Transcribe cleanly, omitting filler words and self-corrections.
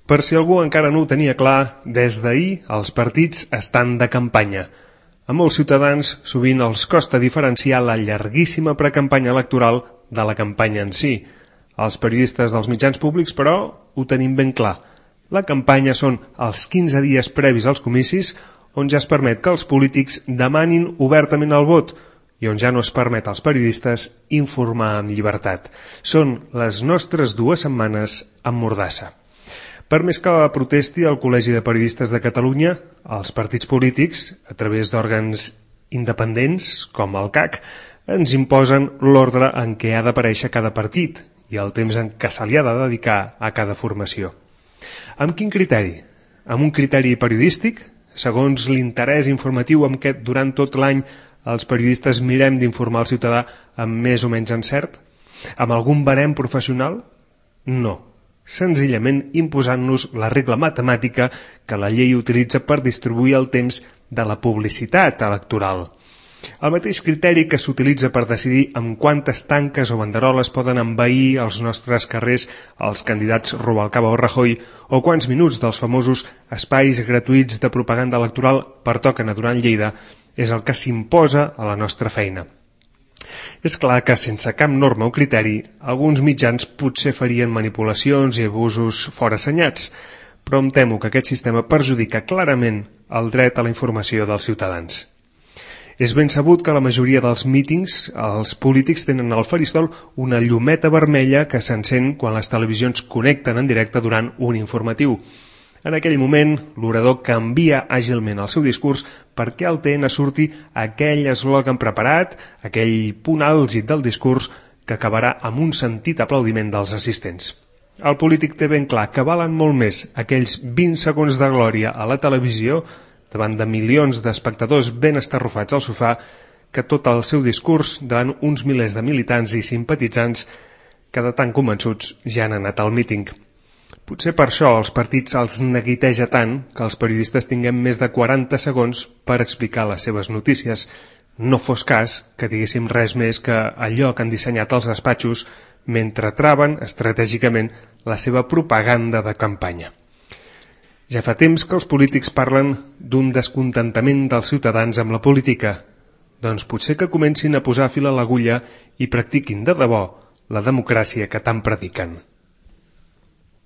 Per si algú encara no ho tenia clar, des d'ahir els partits estan de campanya. A molts ciutadans sovint els costa diferenciar la llarguíssima precampanya electoral de la campanya en si. Els periodistes dels mitjans públics, però, ho tenim ben clar. La campanya són els 15 dies previs als comicis, on ja es permet que els polítics demanin obertament el vot i on ja no es permet als periodistes informar amb llibertat. Són les nostres 2 setmanes amb mordassa. Per més que protesti el Col·legi de Periodistes de Catalunya, els partits polítics, a través d'òrgans independents, com el CAC, ens imposen l'ordre en què ha d'aparèixer cada partit i el temps en què se li ha de dedicar a cada formació. Amb quin criteri? Amb un criteri periodístic? Segons l'interès informatiu amb què durant tot l'any els periodistes mirem d'informar el ciutadà amb més o menys encert? Amb algun barem professional? No. Senzillament imposant-nos la regla matemàtica que la llei utilitza per distribuir el temps de la publicitat electoral. El mateix criteri que s'utilitza per decidir amb quantes tanques o banderoles poden envair els nostres carrers els candidats Rubalcaba o Rajoy o quants minuts dels famosos espais gratuïts de propaganda electoral pertoquen a Duran Lleida és el que s'imposa a la nostra feina. És clar que sense cap norma o criteri, alguns mitjans potser farien manipulacions i abusos fora assenyats, però em temo que aquest sistema perjudica clarament el dret a la informació dels ciutadans. És ben sabut que la majoria dels mítings, els polítics tenen al faristol una llumeta vermella que s'encén quan les televisions connecten en directe durant un informatiu. En aquell moment, l'orador canvia àgilment el seu discurs perquè al TN surti aquell eslògan preparat, aquell punt àlgid del discurs que acabarà amb un sentit aplaudiment dels assistents. El polític té ben clar que valen molt més aquells 20 segons de glòria a la televisió davant de milions d'espectadors ben estarrufats al sofà que tot el seu discurs davant uns milers de militants i simpatitzants que de tan convençuts ja han anat al míting. Potser per això els partits els neguiteja tant que els periodistes tinguem més de 40 segons per explicar les seves notícies. No fos cas que diguéssim res més que allò que han dissenyat els despatxos mentre traven estratègicament la seva propaganda de campanya. Ja fa temps que els polítics parlen d'un descontentament dels ciutadans amb la política. Doncs potser que comencin a posar fil a l'agulla i practiquin de debò la democràcia que tant prediquen.